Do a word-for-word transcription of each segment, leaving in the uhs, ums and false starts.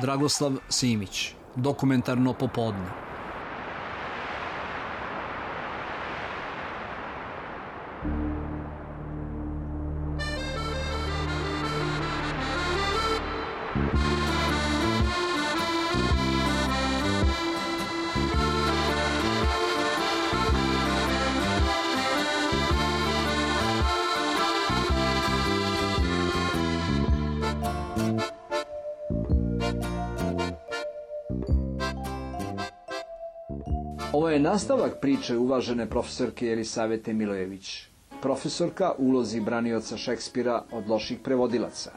Dragoslav Simić, Dokumentarno popodne. Ovo je nastavak priče uvažene profesorke Jelisavete Milojević. Profesorka u ulozi branioca Šekspira od loših prevodilaca.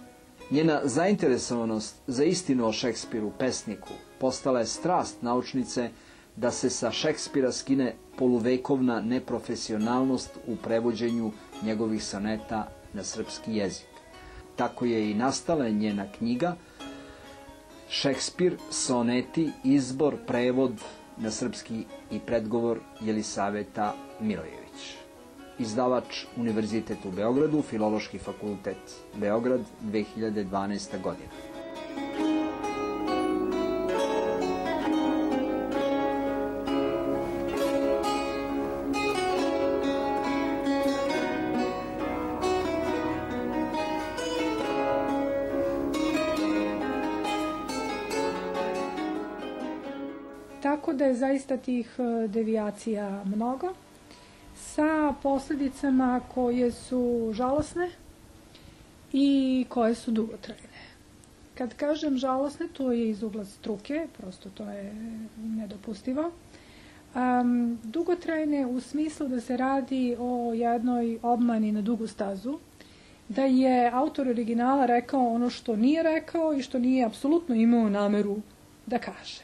Njena zainteresovanost za istinu o Šekspiru, pesniku, postala je strast naučnice da se sa Šekspira skine poluvekovna neprofesionalnost u prevođenju njegovih soneta na srpski jezik. Tako je i nastala njena knjiga Šekspir, soneti, izbor, prevod na srpski i predgovor Jelisaveta Milojević. Izdavač Univerzitet u Beogradu, Filološki fakultet Beograd, dve hiljade dvanaesta. godina. Tako da je zaista tih devijacija mnogo, sa posljedicama koje su žalosne i koje su dugotrajne. Kad kažem žalosne, to je iz ugla struke, prosto to je nedopustivo. Um, dugotrajne u smislu da se radi o jednoj obmani na dugu stazu, da je autor originala rekao ono što nije rekao i što nije apsolutno imao nameru da kaže.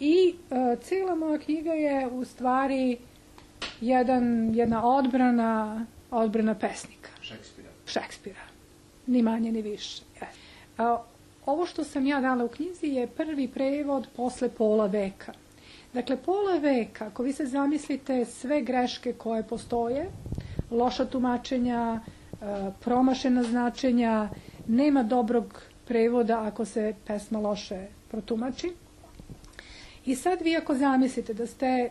I e, cijela moja knjiga je u stvari jedan, jedna odbrana, odbrana pesnika. Šekspira. Šekspira. Ni manje ni više. E, ovo što sam ja dala u knjizi je prvi prevod posle pola veka. Dakle, pola veka, ako vi se zamislite sve greške koje postoje, loša tumačenja, e, promašena značenja, nema dobrog prevoda ako se pesma loše protumači. I sad vi ako zamislite da ste e,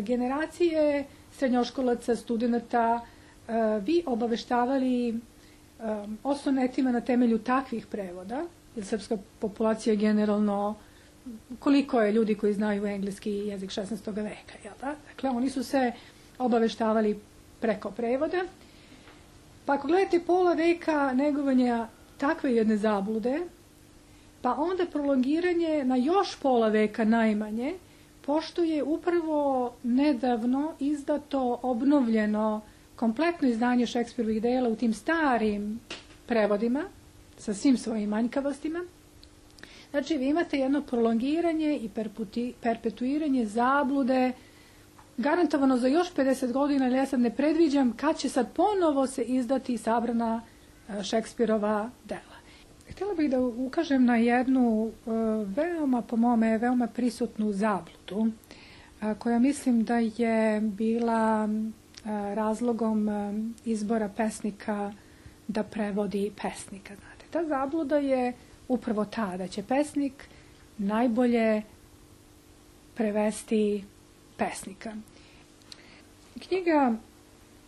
generacije srednjoškolaca, studenta, e, vi obaveštavali e, o sonetima na temelju takvih prevoda, jer srpska populacija generalno, koliko je ljudi koji znaju engleski jezik šesnaestog veka, jel da? Dakle, oni su se obaveštavali preko prevoda. Pa ako gledate pola veka negovanja takve jedne zablude, pa onda prolongiranje na još pola veka najmanje, pošto je upravo nedavno izdato, obnovljeno kompletno izdanje Šekspirovih dela u tim starim prevodima, sa svim svojim manjkavostima. Znači, vi imate jedno prolongiranje i perputi, perpetuiranje zablude, garantovano za još pedeset godina, ali ja sad ne predviđam kad će sad ponovo se izdati sabrana Šekspirova dela. Htjela bih da ukažem na jednu veoma, po mome, veoma prisutnu zabludu, koja mislim da je bila razlogom izbora pesnika da prevodi pesnika. Znate, ta zabluda je upravo ta, da će pesnik najbolje prevesti pesnika. Knjiga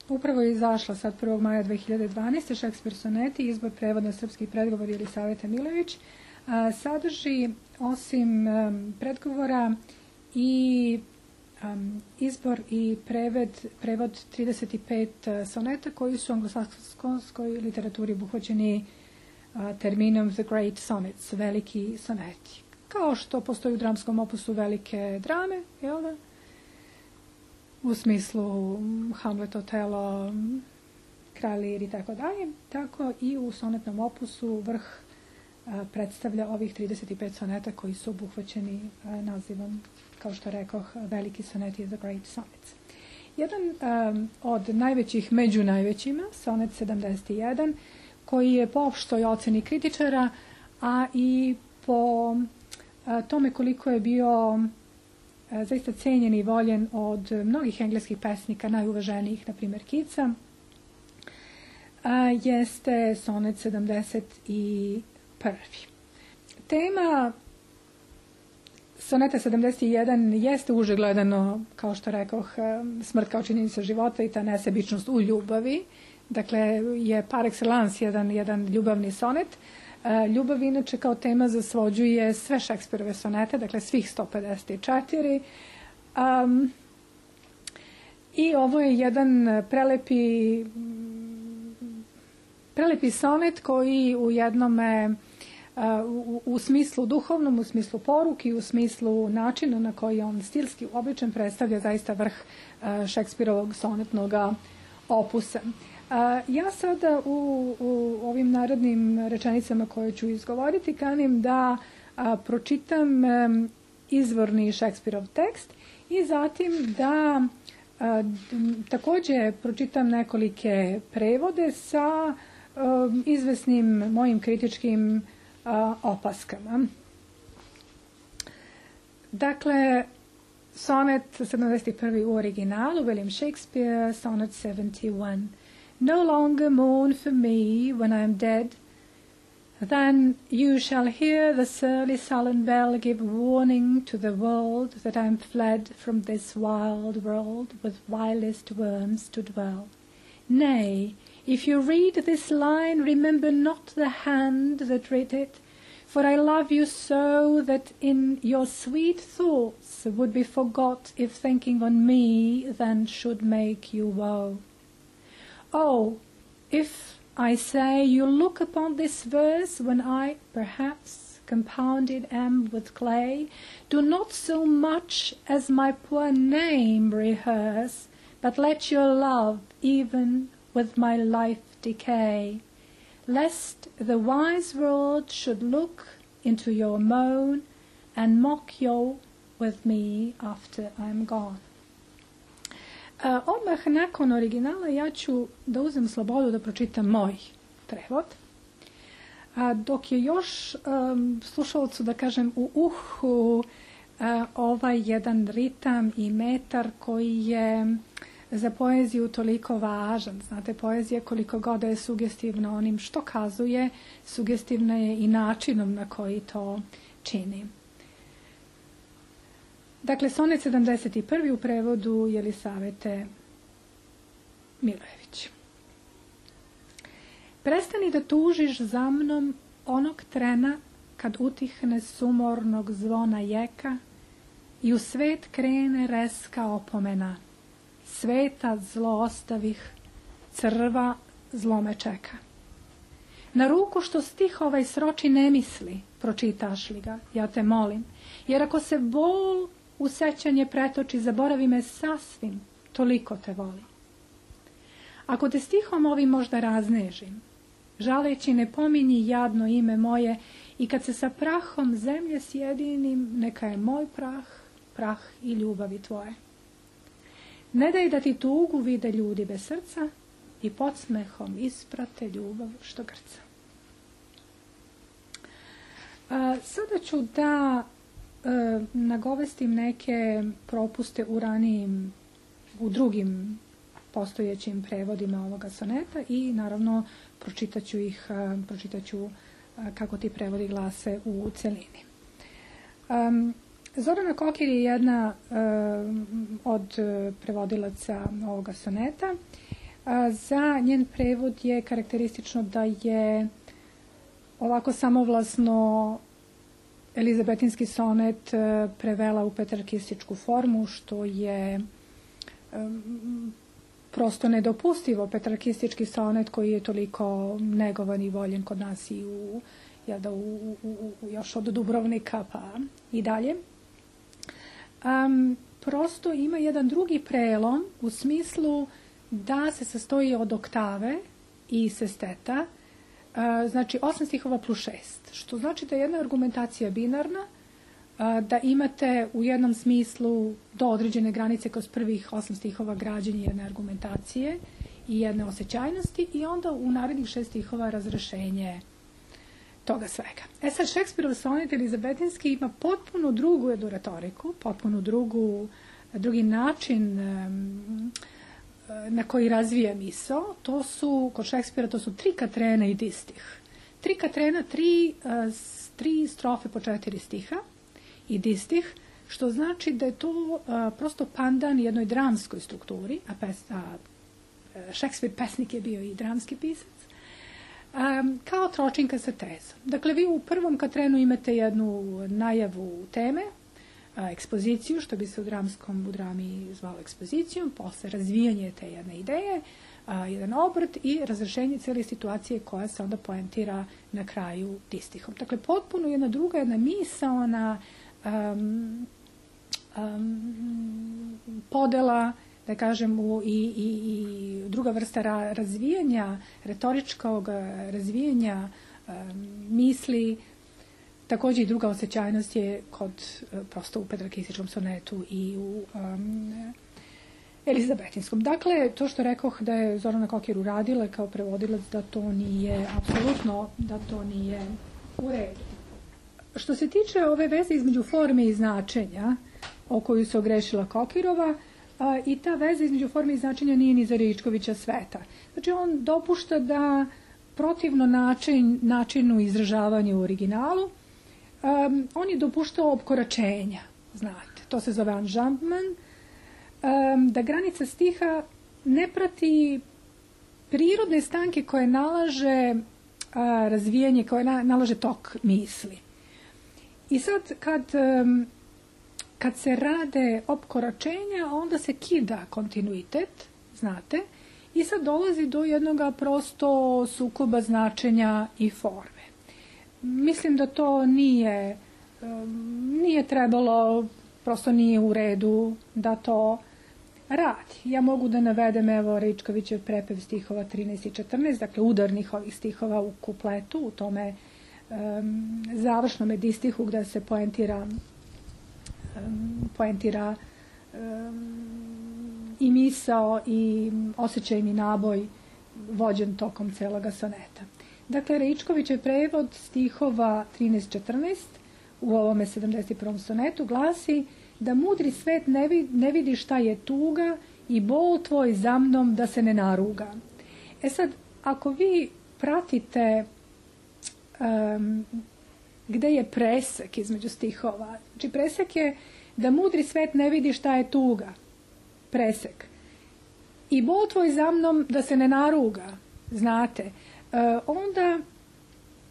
upravo je izašla sad prvog maja dve hiljade dvanaeste. Šekspir soneti, izbor, prevod na srpski predgovor Jelisavete Milojević, sadrži osim um, predgovora i um, izbor i preved, prevod trideset pet soneta koji su u anglosaksonskoj literaturi obuhvaćeni uh, terminom The Great Sonnets, veliki soneti. Kao što postoji u dramskom opusu velike drame, jel da? U smislu Hamlet, Otelo, Kralj Lir i tako dalje, tako i u sonetnom opusu vrh a, predstavlja ovih trideset pet soneta koji su obuhvaćeni a, nazivom, kao što rekoh, veliki soneti The Great Sonnets. Jedan a, od najvećih među najvećima, sonet sedamdeset jedan, koji je po opštoj oceni kritičara, a i po a, tome koliko je bio zaista cenjen i voljen od mnogih engleskih pesnika, najuvaženijih, na primjer Keatsa, jeste sonet sedamdeset prvi. Tema soneta sedamdeset jedan jeste uže gledano, kao što rekoh, smrt kao činjenica života i ta nesebičnost u ljubavi. Dakle, je par excellence jedan, jedan ljubavni sonet. Ljubav inače kao tema zasvođuje sve Šekspirove sonete, dakle svih sto pedeset četiri. Um, I ovo je jedan prelepi, prelepi sonet koji u jednome U, u smislu duhovnom, u smislu poruki, u smislu načina na koji on stilski običan predstavlja zaista vrh Šekspirovog sonetnog opusa. Ja sada u, u ovim narodnim rečenicama koje ću izgovoriti kanim da a, pročitam a, izvorni Šekspirov tekst i zatim da a, takođe pročitam nekolike prevode sa a, izvesnim mojim kritičkim opaskama. Dakle, sonet sedamdeset prvi u originalu, William Shakespeare, sonnet seventy-one. No longer mourn for me when I am dead, then you shall hear the surly sullen bell give warning to the world that I am fled from this wild world with vilest worms to dwell. Nay, if you read this line, remember not the hand that writ it, for I love you so that in your sweet thoughts would be forgot if thinking on me then should make you woe. Oh, if, I say, you look upon this verse when I, perhaps, compounded am with clay, do not so much as my poor name rehearse, but let your love even with my life decay, lest the wise world should look into your moan and mock you with me after I'm gone. Uh, odmah nakon originala ja ću da uzem slobodu da pročitam moj prevod, a dok je još um, slušalcu da kažem u uhu uh, ovaj jedan ritam i metar koji je za poeziju toliko važan. Znate, poezija koliko god je sugestivna onim što kazuje, sugestivna je i načinom na koji to čini. Dakle, sonet sedamdeset prvi u prevodu Jelisavete Milojević. Prestani da tužiš za mnom onog trena kad utihne sumornog zvona jeka i u svet krene reska opomena. Sveta zlo ostavih, crva zlo me čeka. Na ruku što stih ovaj sroči ne misli, pročitaš li ga, ja te molim, jer ako se bol u sećanje pretoči, zaboravi me sasvim, toliko te volim. Ako te stihom ovim možda raznežim, žaleći ne pominji jadno ime moje i kad se sa prahom zemlje sjedinim, neka je moj prah, prah i ljubavi tvoje. Ne daj da ti tugu vide ljudi bez srca i podsmehom isprate ljubav što grca. A, sada ću da e, nagovestim neke propuste u ranijim, u drugim postojećim prevodima ovoga soneta i naravno pročitaću ih, a, pročitaću a, kako ti prevodi glase u celini. Um, Zorana Kokir je jedna uh, od prevodilaca ovoga soneta. Uh, za njen prevod je karakteristično da je ovako samovlasno elizabetinski sonet uh, prevela u petrarkističku formu, što je um, prosto nedopustivo. Petrarkistički sonet koji je toliko negovan i voljen kod nas i u, ja da, u, u, u, još od Dubrovnika pa i dalje. Um, prosto ima jedan drugi prelom u smislu da se sastoji od oktave i sesteta, uh, znači osam stihova plus šest, što znači da je jedna argumentacija binarna, uh, da imate u jednom smislu do određene granice kroz prvih osam stihova građenje jedne argumentacije i jedne osjećajnosti i onda u narednih šest stihova razrešenje toga svega. E sad, Šekspirov sonet elizabetinski ima potpuno drugu jednu retoriku, potpuno drugu, drugi način um, na koji razvija misao. To su, kod Šekspira, to su tri katrena i distih. Tri katrena, tri, uh, tri strofe po četiri stiha i distih, što znači da je to a, prosto pandan jednoj dramskoj strukturi, a, pes, a Šekspir pesnik je bio i dramski pisac, a, kao tročinka sa tezom. Dakle, vi u prvom katrenu imate jednu najavu teme, a, ekspoziciju, što bi se u dramskom u drami zvalo ekspozicijom, posle razvijanje te jedne ideje, a, jedan obrt i razrešenje cijele situacije koja se onda poentira na kraju distihom. Dakle, potpuno jedna druga, jedna misaona um, um, podela, da kažem, u, i, i, i druga vrsta ra, razvijanja, retoričkog razvijanja um, misli. Također i druga osjećajnost je kod, prosto u pedagogističkom sonetu i u um, Elizabetinskom. Dakle, to što rekoh da je Zorana Kokir uradila kao prevodilac, da to nije, apsolutno, da to nije u redu. Što se tiče ove veze između forme i značenja, o koju se ogrešila Kokirova, a, i ta veza između forme i značenja nije ni za Ričkovića sveta. Znači, on dopušta da protivno način, načinu izražavanja u originalu, um, on je dopuštao opkoračenja, znate, to se zove enjambment, um, da granica stiha ne prati prirodne stanke koje nalaže a, razvijanje, koje na, nalaže tok misli. I sad kad, um, kad se rade opkoračenja, onda se kida kontinuitet, znate, i sad dolazi do jednog prosto sukoba značenja i forme. Mislim da to nije, um, nije trebalo, prosto nije u redu da to radi. Ja mogu da navedem, evo, Ričkovićev prepev stihova trinaest i četrnaest, dakle udarnih ovih stihova u kupletu, u tome um, završnome distihu gde se poentira, um, poentira um, i misao i osjećajni naboj vođen tokom celoga soneta. Dakle, Ričkovićev prevod stihova trinaest četrnaest u ovome sedamdeset prvom sonetu glasi da mudri svet ne vidi, ne vidi šta je tuga i bol tvoj za mnom da se ne naruga. E sad, ako vi pratite um, gde je presek između stihova, znači presek je da mudri svet ne vidi šta je tuga, presek. I bol tvoj za mnom da se ne naruga, znate, uh, onda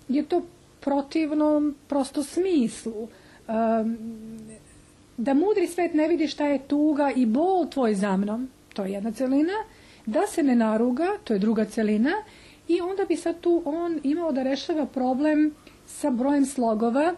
je to protivno prosto smislu. Um, da mudri svet ne vidi šta je tuga i bol tvoj za mnom, to je jedna celina, da se ne naruga, to je druga celina, i onda bi sad tu on imao da rešava problem sa brojem slogova,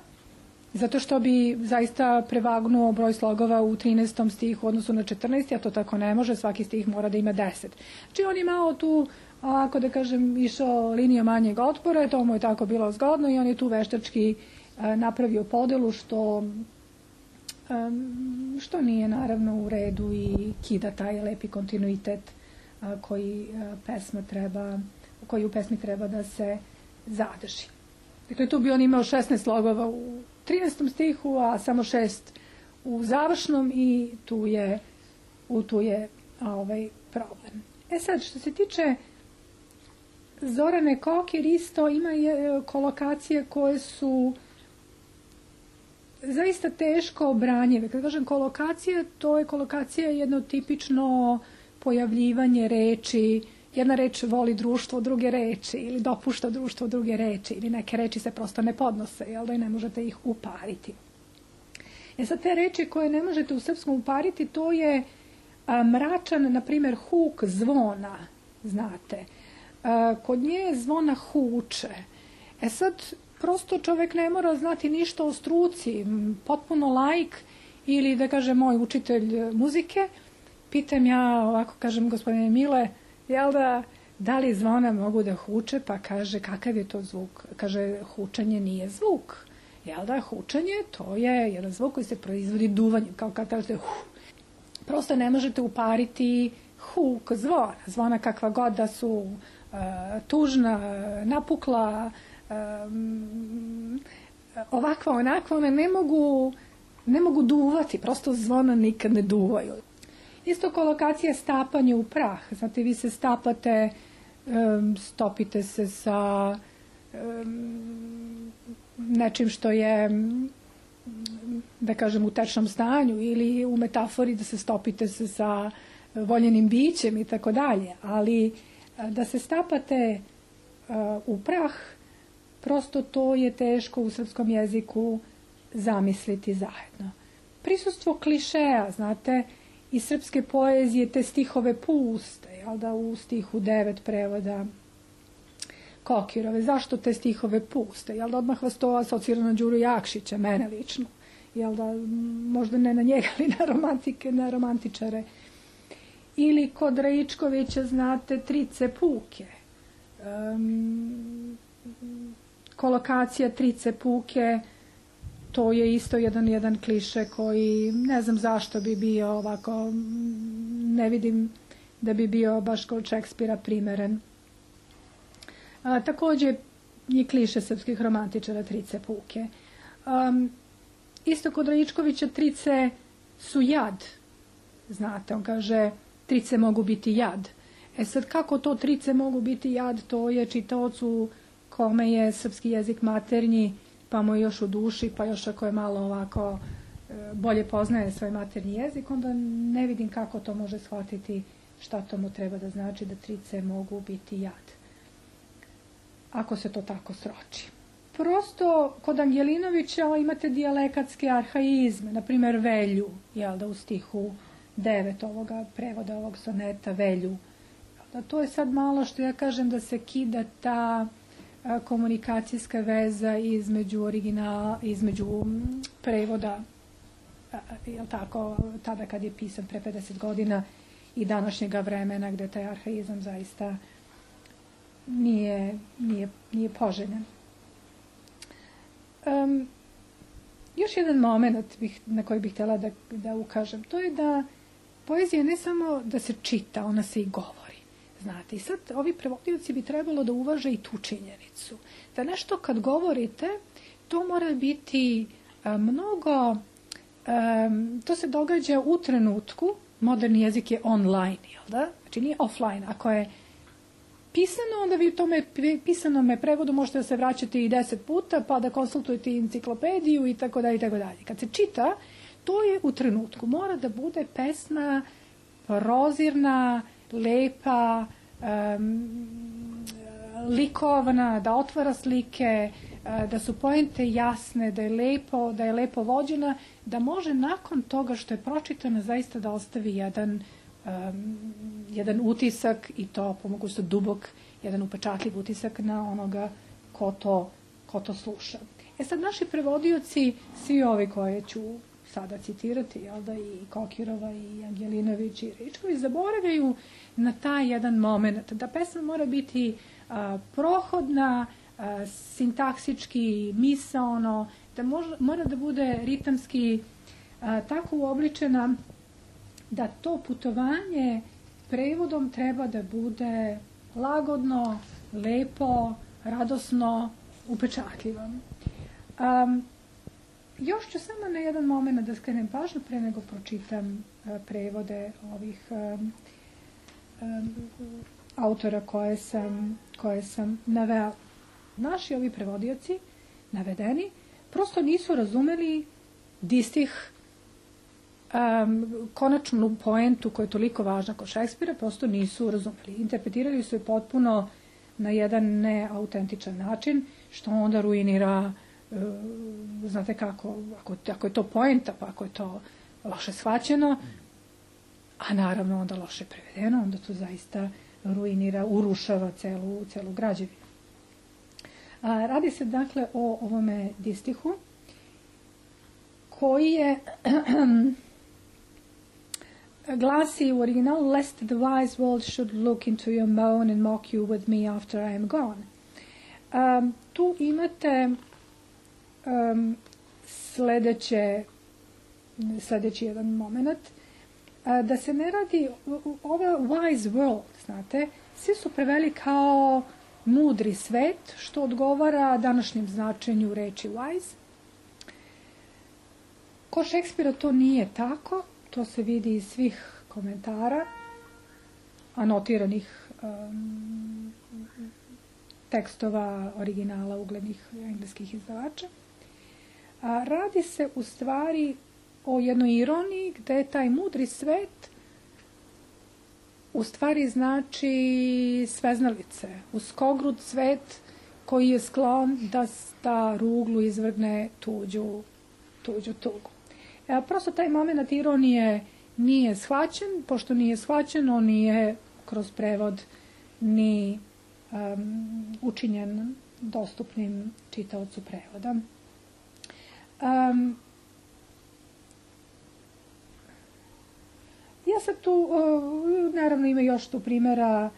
zato što bi zaista prevagnuo broj slogova u trinaestom stihu u odnosu na četrnaesti, a to tako ne može, svaki stih mora da ima deset. Znači on je malo tu, ako da kažem, išao linijom manjeg otpora, to mu je tako bilo zgodno i on je tu veštački a, napravio podelu što, a, što nije naravno u redu i kida taj lepi kontinuitet a, koji, a, pesma treba, koji u pesmi treba da se zadrži. Dakle, tu bi on imao šesnaest slogova u trinaestom stihu, a samo šest u završnom i tu je, u tu je a, ovaj problem. E sad, što se tiče Zorane Kokir, isto ima je kolokacije koje su zaista teško obranjive. Kad kažem kolokacija, to je kolokacija jedno tipično pojavljivanje reči. Jedna reč voli društvo druge reči ili dopušta društvo druge reči ili neke reči se prosto ne podnose, jel da, i ne možete ih upariti. E sad, te reči koje ne možete u srpskom upariti, to je a, mračan, na primjer, huk zvona, znate. A, kod nje zvona huče. E sad, prosto čovjek ne mora znati ništa o struci, potpuno laik ili, da kažem, moj učitelj muzike. Pitam ja, ovako kažem, gospodine Mile, jel da, da li zvona mogu da huče? Pa kaže, kakav je to zvuk? Kaže, hučanje nije zvuk. Jel da, hučanje, to je jedan zvuk koji se proizvodi duvanjem, kao kad kažete huh. Prosto ne možete upariti huk zvona. Zvona kakva god da su uh, tužna, napukla, um, ovakva, onakva, one ne mogu, ne mogu duvati, prosto zvona nikad ne duvaju. Isto kolokacija stapanje u prah. Znate, vi se stapate, um, stopite se sa um, nečim što je, da kažem, u tečnom stanju ili u metafori da se stopite se sa voljenim bićem i tako dalje. Ali da se stapate u prah, prosto to je teško u srpskom jeziku zamisliti zajedno. Prisustvo klišeja, znate, iz srpske poezije te stihove puste, jel da, u stihu devet prevoda Kokirove. Zašto te stihove puste? Jel da, odmah vas to asocira na Đuru Jakšića, mene lično. Jel da, možda ne na njega, ali na romantike, na romantičare. Ili kod Raičkovića, znate, trice puke. Um, kolokacija trice puke, to je isto jedan, jedan kliše koji ne znam zašto bi bio ovako, ne vidim da bi bio baš kod Šekspira primeren. A, također je kliše srpskih romantičara trice puke. Um, isto kod Raičkovića trice su jad. Znate, on kaže trice mogu biti jad. E sad, kako to trice mogu biti jad, to je čitaocu kome je srpski jezik maternji, pa mu je još u duši, pa još ako je malo ovako bolje poznaje svoj maternji jezik, onda ne vidim kako to može shvatiti, šta to mu treba da znači da trice mogu biti jad. Ako se to tako sroči. Prosto, kod Angelinovića imate dijalekatske arhaizme, na primjer velju, jel da, u stihu devet ovoga prevoda ovog soneta velju. Da, to je sad malo što ja kažem da se kida ta a, komunikacijska veza između originala, između prevoda, a, jel tako, tada kad je pisan pre pedeset godina i današnjega vremena gde taj arhaizam zaista nije, nije, nije poželjen. Um, još jedan moment bih, na koji bih htjela da, da ukažem, to je da poezija ne samo da se čita, ona se i govori. Znate, i sad ovi prevodioci bi trebalo da uvaže i tu činjenicu. Da nešto kad govorite, to mora biti a, mnogo, a, to se događa u trenutku, moderni jezik je online, jel da? Znači nije offline. Ako je pisano, onda vi u tome pisanome prevodu možete da se vraćate i deset puta, pa da konsultujete enciklopediju i tako dalje i tako dalje. Kad se čita, to je u trenutku. Mora da bude pesma prozirna, lepa, um, likovna, da otvara slike, da su poente jasne, da je lepo, da je lepo vođena, da može nakon toga što je pročitana zaista da ostavi jedan um, jedan utisak i to po mogućnosti dubok, jedan upečatljiv utisak na onoga ko to, ko to sluša. E sad, naši prevodioci, svi ovi koje ću sada citirati, jel da, i Kokirova, i Angelinović, i Raičković, zaboravljaju na taj jedan moment, da pesma mora biti a, prohodna, a, sintaksički, misaono, da može, mora da bude ritamski a, tako uobličena da to putovanje prevodom treba da bude lagodno, lepo, radosno, upečatljivo. Um, još ću samo na jedan moment da skrenem pažnju pre nego pročitam uh, prevode ovih um, um, autora koje sam, koje sam navela. Naši ovi prevodioci, navedeni, prosto nisu razumeli distih Um, konačnu poentu koja je toliko važna kod Šekspira, prosto nisu razumeli. Interpretirali su je potpuno na jedan neautentičan način, što onda ruinira, uh, znate kako, ako, ako je to poenta, pa ako je to loše shvaćeno, a naravno onda loše prevedeno, onda to zaista ruinira, urušava celu, celu građevinu. A, radi se dakle o ovome distihu, koji je glasi u originalu, lest the wise world should look into your moan and mock you with me after I am gone. Um, tu imate um, sledeće, sledeći jedan moment, uh, da se ne radi, ova wise world, znate, svi su preveli kao mudri svet, što odgovara današnjem značenju reči wise. Kod Šekspira to nije tako. To se vidi iz svih komentara, anotiranih um, tekstova originala uglednih engleskih izdavača. A radi se u stvari o jednoj ironiji gde taj mudri svet u stvari znači sveznalice, uskogrud svet koji je sklon da, da ruglu izvrgne tuđu, tuđu tugu. E, prosto taj moment ironije nije shvaćen, pošto nije shvaćen, on nije kroz prevod ni um, učinjen dostupnim čitaocu prevoda. Um, ja sad tu, uh, naravno ima još tu primjera,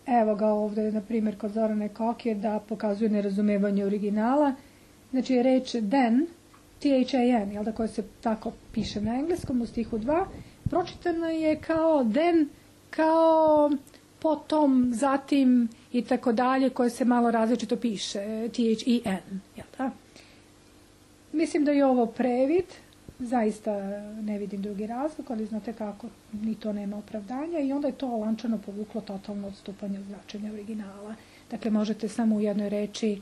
evo ga ovdje, na primjer, kod Zorane Kokir, da pokazuje nerazumevanje originala. Znači, reč then, T H A N, jel da, koja se tako piše na engleskom u stihu dva, pročitana je kao then, kao potom, zatim i tako dalje, koje se malo različito piše, T H E N, jel da? Mislim da je ovo previd, zaista ne vidim drugi razlog, ali znate kako, ni to nema opravdanja i onda je to lančano povuklo totalno odstupanje od značenja originala. Dakle, možete samo u jednoj reči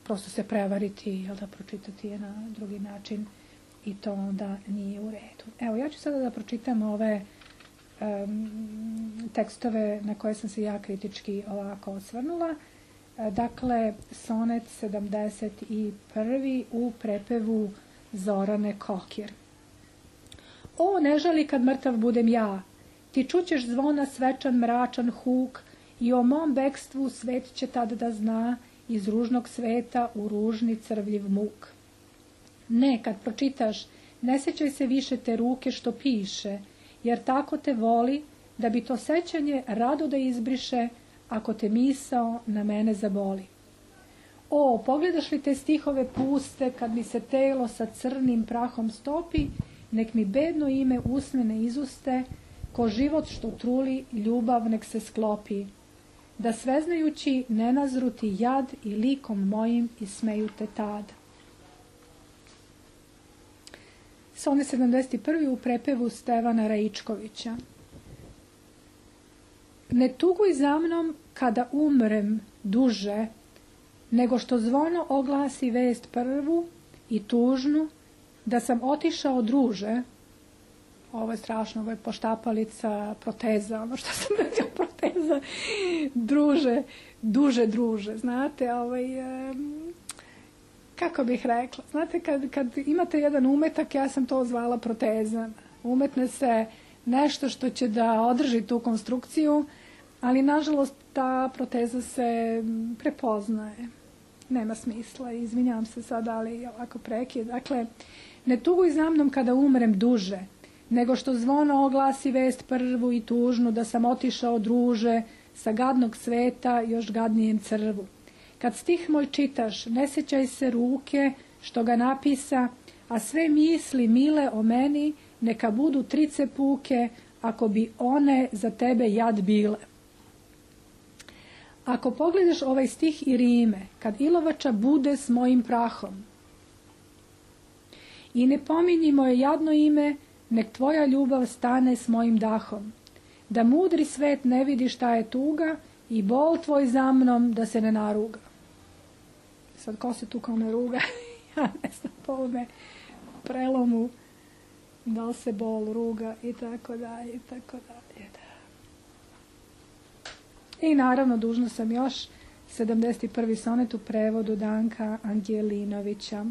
prosto se prevariti, jel da, pročitati je na drugi način i to onda nije u redu. Evo, ja ću sada da pročitam ove um, tekstove na koje sam se ja kritički ovako osvrnula. Dakle, sonet sedamdeset prvi u prepevu Zorane Kokir. O, ne žali kad mrtav budem ja, ti čućeš zvona svečan mračan huk i o mom bekstvu svet će tad da zna iz ružnog sveta u ružni crvljiv muk. Ne, kad pročitaš, ne sećaj se više te ruke što piše, jer tako te voli da bi to sećanje rado da izbriše ako te misao na mene zaboli. O, pogledaš li te stihove puste kad mi se telo sa crnim prahom stopi, nek mi bedno ime usmene izuste, ko život što truli, ljubav nek se sklopi. Da sveznajući ne nazruti jad i likom mojim i smeju te tad. Sonet sedamdeset prvi u prepevu Stevana Raičkovića. Ne tuguj za mnom kada umrem duže, nego što zvono oglasi vest prvu i tužnu, da sam otišao druže. Ovo je strašno, ovo je poštapalica, proteza, ono što sam rekao, proteza, druže, duže druže, znate, ovaj, kako bih rekla, znate, kad, kad imate jedan umetak, ja sam to zvala proteza, umetne se nešto što će da održi tu konstrukciju, ali nažalost ta proteza se prepoznaje, nema smisla, izvinjavam se sad, ali ovako prekid, dakle, ne tuguj za mnom kada umrem duže, nego što zvono oglasi vest prvu i tužnu, da sam otišao druže sa gadnog sveta još gadnijem crvu. Kad stih moj čitaš, ne sećaj se ruke što ga napisa, a sve misli mile o meni neka budu trice puke, ako bi one za tebe jad bile. Ako pogledaš ovaj stih i rime, kad ilovača bude s mojim prahom, i ne pominji moje jadno ime, nek tvoja ljubav stane s mojim dahom, da mudri svet ne vidi šta je tuga i bol tvoj za mnom da se ne naruga. Sad, ko se tu kao ne ruga? Ja ne znam, po ovome prelomu, da li se bol ruga i tako dalje, i tako dalje. I naravno, dužna sam još sedamdeset prvi sonet u prevodu Danka Angelinovića.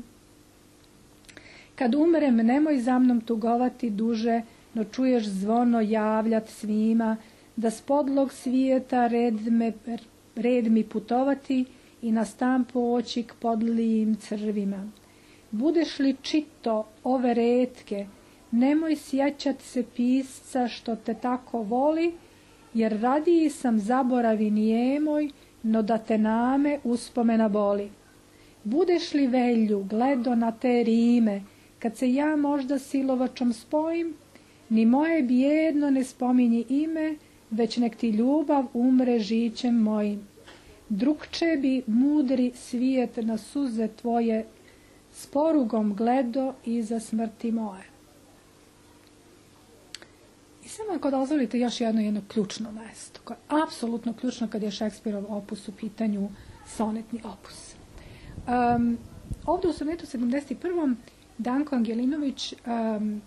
Kad umrem, nemoj za mnom tugovati duže, no čuješ zvono javljat svima, da s podlog svijeta red, me, red mi putovati i na stan poći k podlijim crvima. Budeš li čito ove retke, nemoj sjećat se pisca što te tako voli, jer radiji sam zaboravi nijemoj, no da te name uspomena boli. Budeš li velju gledo na te rime, kad se ja možda silovačom spojim, ni moje bijedno ne spominji ime, već nek ti ljubav umre žićem mojim. Drugče bi mudri svijet na suze tvoje s porugom gledo iza smrti moje. I samo ako dozvolite još jedno jedno ključno mesto, koje je apsolutno ključno kad je Šekspirov opus u pitanju, sonetni opus. Um, ovde u sonetu sedamdeset prvom Danko Angelinović um,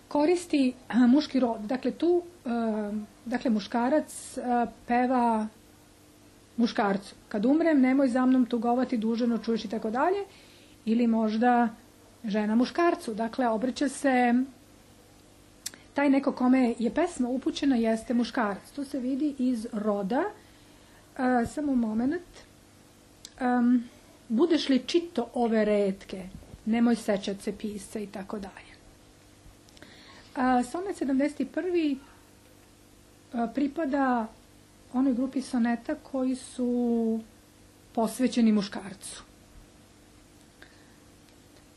koristi a, muški rod. Dakle, tu a, dakle, muškarac a, peva muškarcu. Kad umrem, nemoj za mnom tugovati, dužano čuješ i tako dalje. Ili možda žena muškarcu. Dakle, obraća se taj neko kome je pesma upućena jeste muškarac. To se vidi iz roda. A, samo moment. Um, budeš li čito ove retke, nemoj sećat se pisca i tako dalje. A, sonet sedamdeset prvi a, pripada onoj grupi soneta koji su posvećeni muškarcu.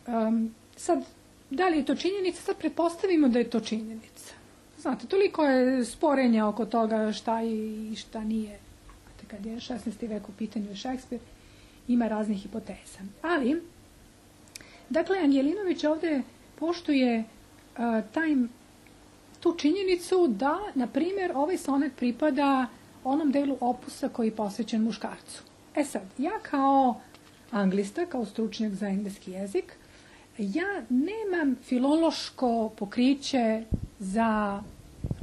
Um, sad, da li je to činjenica? Sad pretpostavimo da je to činjenica. Znate, toliko je sporenja oko toga šta je i šta nije. Znate, kad je šesnaesti vek u pitanju je Šekspir, ima raznih hipoteza. Ali, dakle, Angelinović ovde poštuje uh, taj, tu činjenicu da, na primjer, ovaj sonet pripada onom delu opusa koji je posvećen muškarcu. E sad, ja kao anglista, kao stručnjak za engleski jezik, ja nemam filološko pokriće za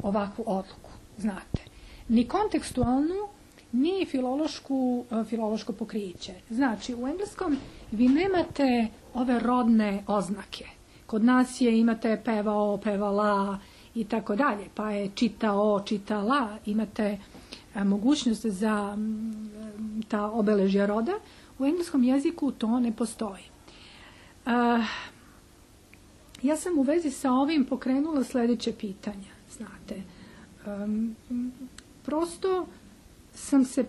ovakvu odluku, znate. Ni kontekstualnu, ni filološku, filološko pokriće. Znači, u engleskom vi nemate ove rodne oznake. Kod nas je imate pevao, pevala i tako dalje, pa je čitao, čitala, imate a, mogućnost za m, ta obeležja roda. U engleskom jeziku to ne postoji. A, ja sam u vezi sa ovim pokrenula sledeće pitanja, znate. Um, prosto sam se,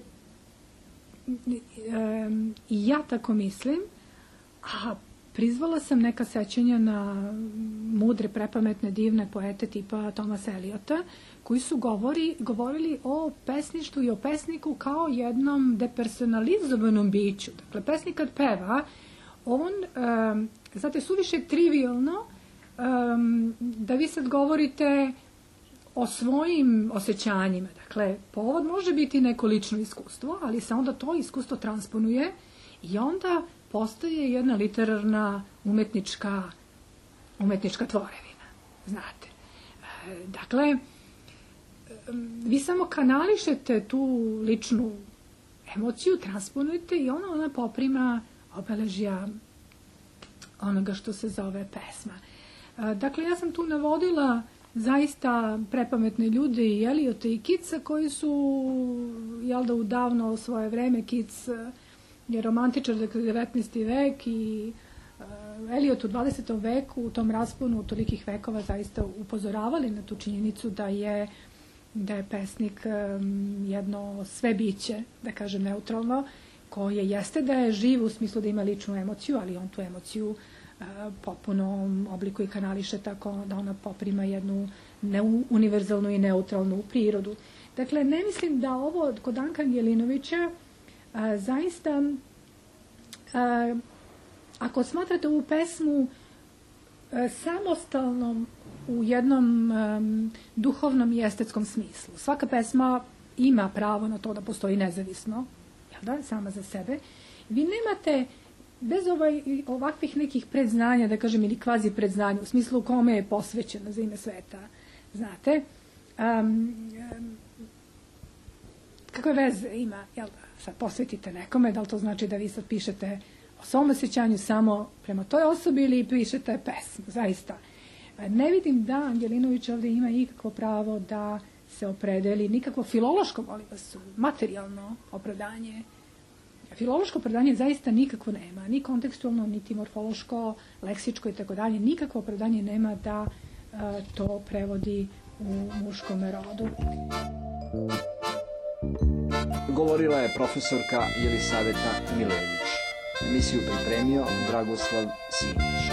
um, i ja tako mislim, a prizvala sam neka sećanja na mudre, prepametne, divne poete tipa Thomasa Eliota, koji su govori, govorili o pesništvu i o pesniku kao jednom depersonalizovanom biću. Dakle, pesnik kad peva, on, um, znate, suviše trivialno um, da vi sad govorite o svojim osjećanjima. Dakle, povod može biti neko lično iskustvo, ali se onda to iskustvo transponuje i onda postaje jedna literarna umetnička, umetnička tvorevina. Znate. E, dakle, vi samo kanališete tu ličnu emociju, transponujete i ona, ona poprima obeležja onoga što se zove pesma. E, dakle, ja sam tu navodila zaista prepametne ljude i Eliota i Keatsa koji su, jel da, u davno svoje vreme, Keats je romantičar, dakle, devetnaesti vek i uh, Eliot u dvadesetom veku, u tom rasponu tolikih vekova zaista upozoravali na tu činjenicu da je, da je pesnik um, jedno sve biće, da kažem neutralno, koje jeste da je živ u smislu da ima ličnu emociju, ali on tu emociju uh, potpuno oblikuje i kanališe tako da ona poprima jednu univerzalnu i neutralnu prirodu. Dakle, ne mislim da ovo kod Danka Angelinovića a, zaista, a, ako smatrate ovu pesmu a, samostalnom u jednom a, duhovnom i estetskom smislu, svaka pesma ima pravo na to da postoji nezavisno, jel da, sama za sebe, vi nemate, bez ovaj, ovakvih nekih predznanja, da kažem, ili kvazi predznanja, u smislu kome je posvećena za ime sveta, znate, um, um, kakve veze ima, jel da, sad posvetite nekome, da li to znači da vi sad pišete o svom osjećanju samo prema toj osobi ili pišete pesmu, zaista. Ne vidim da Angelinović ovdje ima ikakvo pravo da se opredeli, nikakvo filološko, molim vas, materijalno opravdanje. Filološko opravdanje zaista nikakvo nema, ni kontekstualno, niti morfološko, leksičko i tako dalje, nikakvo opravdanje nema da uh, to prevodi u muškom rodu. Govorila je profesorka Jelisaveta Milojević. Emisiju pripremio Dragoslav Simić.